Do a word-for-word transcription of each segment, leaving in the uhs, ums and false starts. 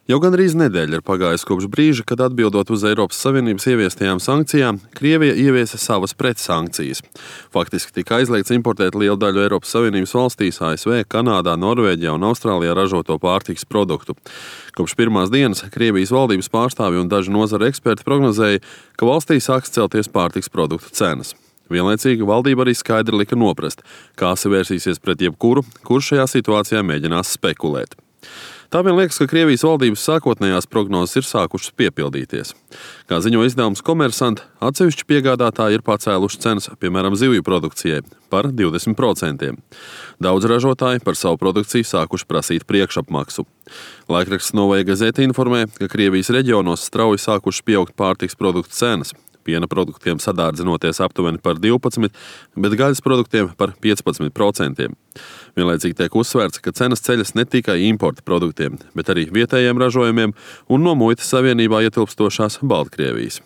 Jau gandrīz nedēļa ir pagājusi kopš brīža, kad atbildot uz Eiropas Savienības ieviestajām sankcijām, Krievija ieviesa savas pretsankcijas. Faktiski tika aizliegts importēt lielu daļu Eiropas Savienības valstīs, A S V, Kanādā, Norvēģijā un Austrālijā ražoto pārtikas produktu. Kopš pirmās dienas Krievijas valdības pārstāvji un daži nozara eksperti prognozēja, ka valstī sāks celties pārtikas produktu cenas. Vienlaicīgi valdība arī skaidri lika noprast, kā savērsīsies pret jebkuru, kurš šajā situācijā mēģinās spekulēt. Tā vien liekas, ka Krievijas valdības sākotnējās prognozes ir sākušas piepildīties. Kā ziņo izdevums Komersant, atsevišķi piegādātāji ir pacēluši cenas, piemēram, zivju produkcijai, par divdesmit procentiem. Daudz ražotāji par savu produkciju sākuši prasīt priekšapmaksu. Laikraksts Novaja Gazeta informē, ka Krievijas reģionos strauji sākušas pieaugt pārtikas produktu cenas. Piena produktiem sadārdzinoties aptuveni par divpadsmit, bet gaļas produktiem par piecpadsmit procentiem. Vienlaicīgi tiek uzsvērts, ka cenas ceļas ne tikai importa produktiem, bet arī vietējiem ražojumiem un no muitas savienībā ietilpstošās Baltkrievijas.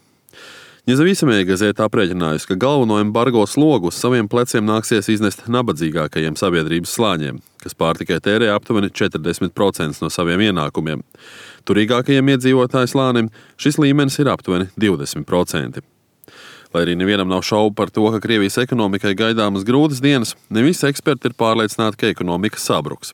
Nезависимая gazeta aprēķinājusi, ka galveno embargo slogu uz saviem pleciem nāksies iznest nabadzīgākajiem sabiedrības slāņiem, kas pārtikai tērē aptuveni četrdesmit procenti no saviem ienākumiem. Turīgākajiem iedzīvotāju slānim šis līmenis ir aptuveni divdesmit procenti. Lai arī nevienam nav šaubu par to, ka Krievijas ekonomikai gaidāmas grūtas dienas, ne visi eksperti ir pārliecināti, ka ekonomika sabruks.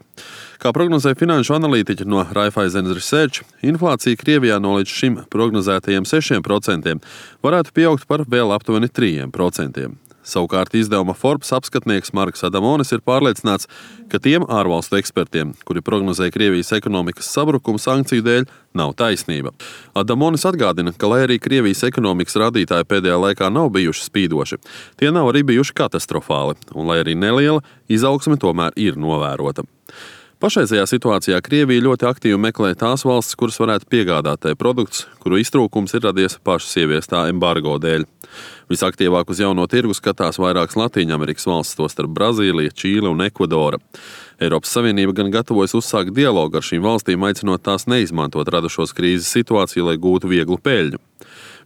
Kā prognozē finanšu analītiķi no Raiffeisen Research, inflācija Krievijā no līdz šim prognozētajiem sešiem procentiem varētu pieaugt par vēl aptuveni trīs procentiem. Savukārt izdevuma Forbes apskatnieks Marks Adamonis ir pārliecināts, ka tiem ārvalstu ekspertiem, kuri prognozē Krievijas ekonomikas sabrukumu sankciju dēļ, nav taisnība. Adamonis atgādina, ka lai arī Krievijas ekonomikas rādītāji pēdējā laikā nav bijuši spīdoši, tie nav arī bijuši katastrofāli, un lai arī neliela, izaugsme tomēr ir novērota. Pašreizajā situācijā Krievija ļoti aktīvi meklē tās valstis, kuras varētu piegādāt tai produktus, kuru iztrūkums ir radies pašas ieviestā embargo dēļ. Visaktīvāk uz jauno tirgu skatās vairākas Latīņamerikas valstis, tostarp Brazīlija, Čīle un Ekvadora. Eiropas Savienība gan gatavojas uzsākt dialogu ar šīm valstīm, aicinot tās neizmantot radušos krīzes situāciju, lai gūtu vieglu peļņu.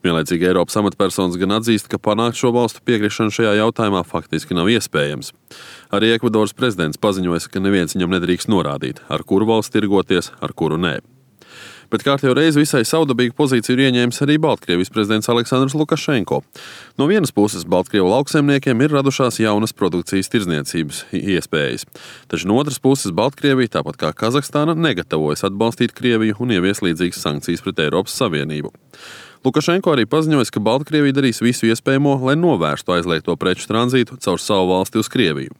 Vienlaicīgi Eiropas amatpersonas gan atzīst, ka panākt šo valstu piekrišanu šajā jautājumā faktiski nav iespējams. Arī Ekvadoras prezidents paziņoja, ka neviens viņam nedrīkst norādīt, ar kuru valsts tirgoties, ar kuru nē. Bet kārtējo reizi visai savdabīgu pozīciju ir ieņēmis arī Baltkrievijas prezidents Aleksandrs Lukašenko. No vienas puses Baltkrievu lauksaimniekiem ir radušās jaunas produkcijas tirdzniecības iespējas. Taču no otras puses Baltkrievija, tāpat kā Kazahstāna, negatavojas atbalstīt Krieviju un ievies līdzīgas sankcijas pret Eiropas Savienību. Lukašenko arī paziņoja, ka Baltkrievija darīs visu iespējamo, lai novērstu aizliegto preču tranzītu caur savu valsti uz Krieviju.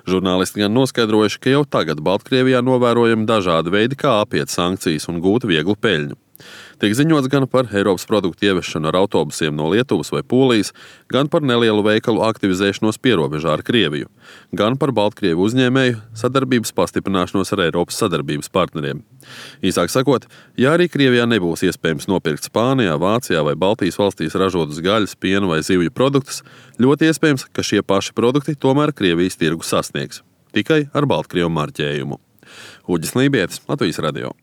Žurnālisti gan noskaidrojuši, ka jau tagad Baltkrievijā novērojami dažādi veidi, kā apiet sankcijas un gūt vieglu peļņu. Tiek ziņots gan par Eiropas produktu ieviešanu ar autobusiem no Lietuvas vai Polijas, gan par nelielu veikalu aktivizēšanos pierobežā ar Krieviju, gan par Baltkrievu uzņēmēju sadarbības pastiprināšanos ar Eiropas sadarbības partneriem. Īsāk sakot, ja arī Krievijā nebūs iespējams nopirkt Spānijā, Vācijā vai Baltijas valstīs ražotus gaļas, piena vai zivju produktus, ļoti iespējams, ka šie paši produkti tomēr Krievijas tirgu sasniegs, tikai ar Baltkrievu marķējumu. Uģis Lībietis, Latvijas radio.